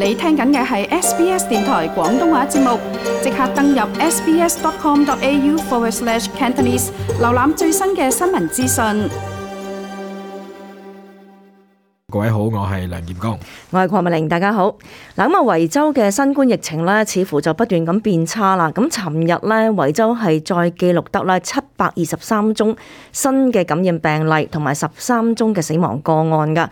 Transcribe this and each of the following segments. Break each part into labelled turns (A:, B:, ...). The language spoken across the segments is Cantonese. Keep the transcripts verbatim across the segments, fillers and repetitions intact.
A: 你聽緊嘅係 S B S 電台廣東話節目，即刻登入 sbs.com.au forward slash Cantonese， 瀏覽最新嘅新聞資訊。
B: 各位好，我係梁炎光，
C: 我係鄺美玲，大家好。嗱，咁啊，維州嘅新冠疫情咧，似乎就不斷咁變差啦。咁尋日咧，維州係再記錄得咧七百二十三宗新嘅感染病例，同埋十三宗嘅死亡個案噶。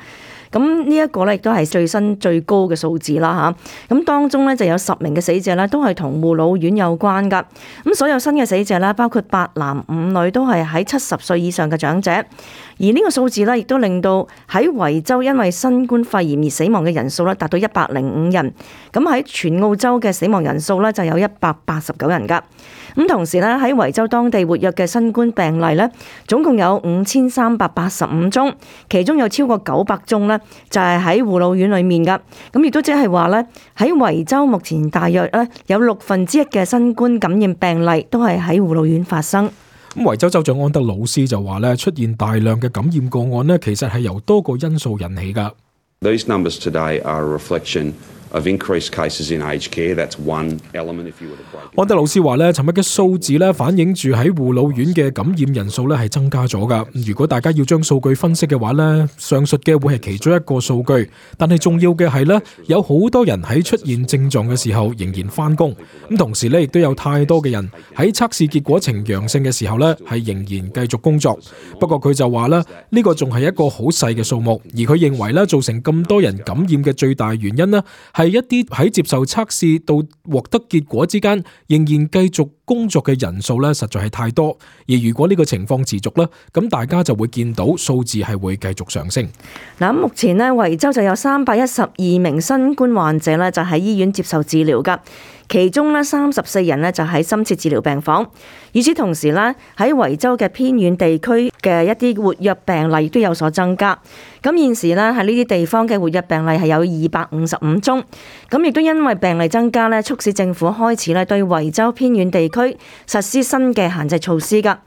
C: 咁呢一個咧，亦都係最新最高嘅數字啦嚇。咁當中咧就有十名嘅死者咧，都係同護老院有關噶。咁所有新嘅死者咧，包括八男五女，都係喺七十歲以上嘅長者。而呢個數字咧，亦都令到喺維州因為新冠肺炎而死亡嘅人數咧，達到一百零五人。咁喺全澳洲嘅死亡人數咧，就有一百八十九人噶。咁同時咧，喺維州當地活躍嘅新冠病例咧，總共有五千三百八十五宗，其中有超過九百宗咧，就係喺護老院裏面噶。咁亦都即係話咧，喺維州目前大約咧有六分之一嘅新冠感染病例都係喺護老院發生。
B: 咁維州州長安德魯斯就話咧，出現大量嘅感染個案咧，其實係由多個因素引起噶。
D: These numbers today are a reflection of increased cases in aged care. That's one element if you were to break it.
B: 安德魯斯話咧，尋日嘅數字咧反映住喺護老院嘅感染人數咧係增加咗噶。如果大家要將數據分析嘅話咧，上述嘅會係其中一個數據，但係重要嘅係咧，有好多人喺出現症狀嘅時候仍然返工，咁同時咧亦都有太多嘅人喺測試結果呈陽性嘅時候咧係仍然繼續工作。不過佢就話咧，呢個仲係一個好細嘅數目，而佢認為咧造成咁多人感染嘅最大原因呢，係一啲喺接受測試到獲得結果之間仍然繼續工作嘅人數咧，實在係太多。而如果呢個情況持續咧，咁大家就會見到數字係會繼續上升。
C: 嗱，目前呢，維州就有三百一十二名新冠患者咧，就喺醫院接受治療噶。其中咧三十四人咧就喺深切治療病房。與此同時咧，喺維州嘅偏遠地區嘅一啲活躍病例都有所增加。咁現時咧喺呢啲地方嘅活躍病例係有二百五十五宗。咁亦都因為病例增加咧，促使政府開始咧對維州偏遠地區實施新嘅限制措施㗎。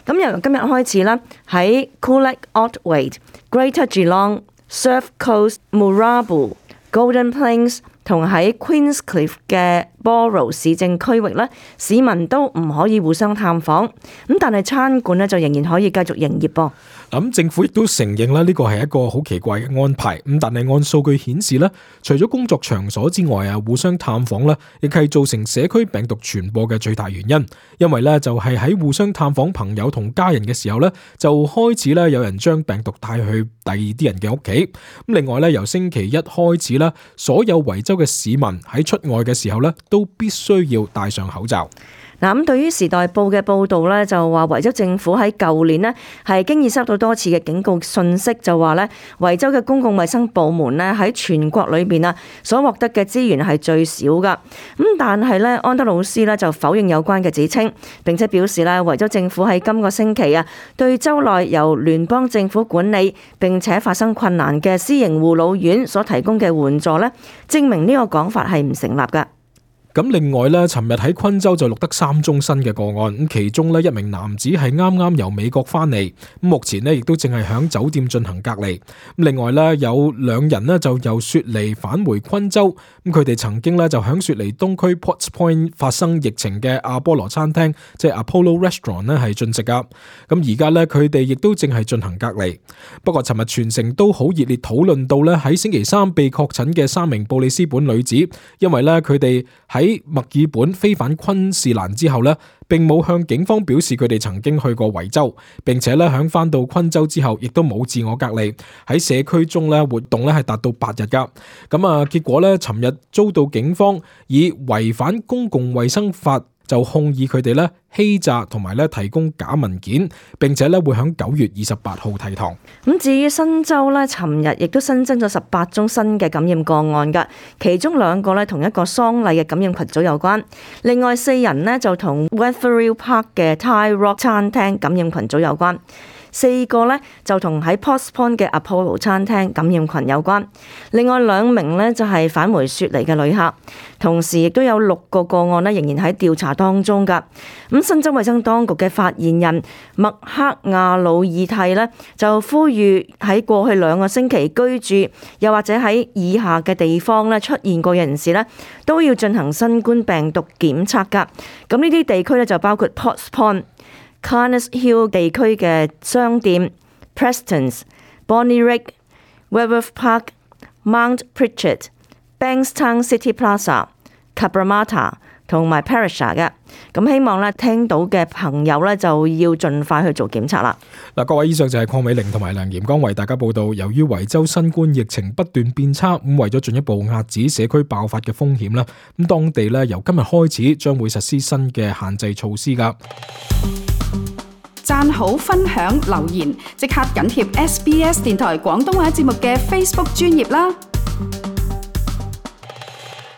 C: 咁由今日開始啦，喺 Coolac、Otway、Greater Geelong、Surf Coast、Moorabool、Golden Plains同喺 Queenscliff 嘅 Borough 市政區域咧，市民都唔可以互相探訪。咁但係餐館咧就仍然可以繼續營業噃。
B: 咁政府亦都承認咧，呢個係一個好奇怪嘅安排。咁但係按數據顯示咧，除咗工作場所之外啊，互相探訪咧，亦係造成社區病毒傳播嘅最大原因。因為咧就係喺互相探訪朋友同家人嘅時候咧，就開始咧有人將病毒帶去第二啲人嘅屋企。咁另外咧，由星期一開始咧，所有維州嘅市民喺出外嘅時候咧，都必須要戴上口罩。
C: 嗱，咁對於時代報嘅報導咧，就話維州政府喺舊年呢係經已收到多次嘅警告訊息，就話咧維州嘅公共衛生部門咧喺全國裏邊啊所獲得嘅資源係最少噶。咁但係咧安德魯斯咧就否認有關嘅指稱，並且表示咧維州政府喺今個星期啊對州內由聯邦政府管理並且發生困難嘅私營護老院所提供嘅援助咧，證明呢個講法係唔成立噶。
B: 咁另外咧，尋日喺昆州就錄得三宗新嘅個案，咁其中咧一名男子係啱啱由美國翻嚟，咁目前咧亦都正係響酒店進行隔離。咁另外咧有兩人咧就由雪梨返回昆州，咁佢哋曾經咧就響雪梨東區 Potts Point 發生疫情嘅阿波羅餐廳，即係 Apollo Restaurant 咧係進食噶。咁而家咧佢哋亦都正係進行隔離。不過尋日全城都好熱烈討論到咧喺星期三被確診嘅三名布里斯本女子，因為咧佢哋喺喺墨爾本飛返昆士蘭之後呢，並冇向警方表示佢哋曾經去過維州，並且咧響翻到昆州之後，亦都冇自我隔離，喺社區中咧活動咧係達到八日噶。咁啊，結果咧，尋日遭到警方以違反公共衛生法就控以佢哋咧欺詐同埋咧提供假文件，並且咧會響九月二十八號提堂。
C: 咁至於新州咧，尋日亦都新增咗十八宗新嘅感染個案噶，其中兩個咧同一個喪禮嘅感染群組有關，另外四人呢就同 Wetherill Park 嘅 Thai Rock 餐廳感染群組有關。四個呢就同喺 Potts Point 嘅 Apollo 餐廳感染群有關。另外兩名呢就係返回雪梨嘅旅客，同時亦都有六個個案呢仍然喺調查當中㗎。咁新州衛生當局嘅發言人麥克亞魯爾蒂呢就呼籲喺過去兩個星期居住又或者喺以下嘅地方呢出現過嘅人士呢都要進行新冠病毒檢測㗎。咁呢啲地區呢就包括 Potts Point、Carnes Hill 地區嘅商店、Prestons、Bonnyrigg、Wentworth Park、Mount Pritchard、Bankstown City Plaza、Cabramatta 同埋 Perisher 嘅。咁希望咧聽到嘅朋友咧就要盡快去做檢測啦。
B: 嗱，各位，以上就係鄺美玲同埋梁炎剛為大家報道。由於維州新冠疫情不斷變差，咁為咗進一步遏止社區爆發嘅風險啦，咁當地咧由今日開始將會實施新嘅限制措施噶。
A: 讚好、分享、留言，即刻緊貼 S B S 電台廣東話節目嘅 Facebook 專頁啦。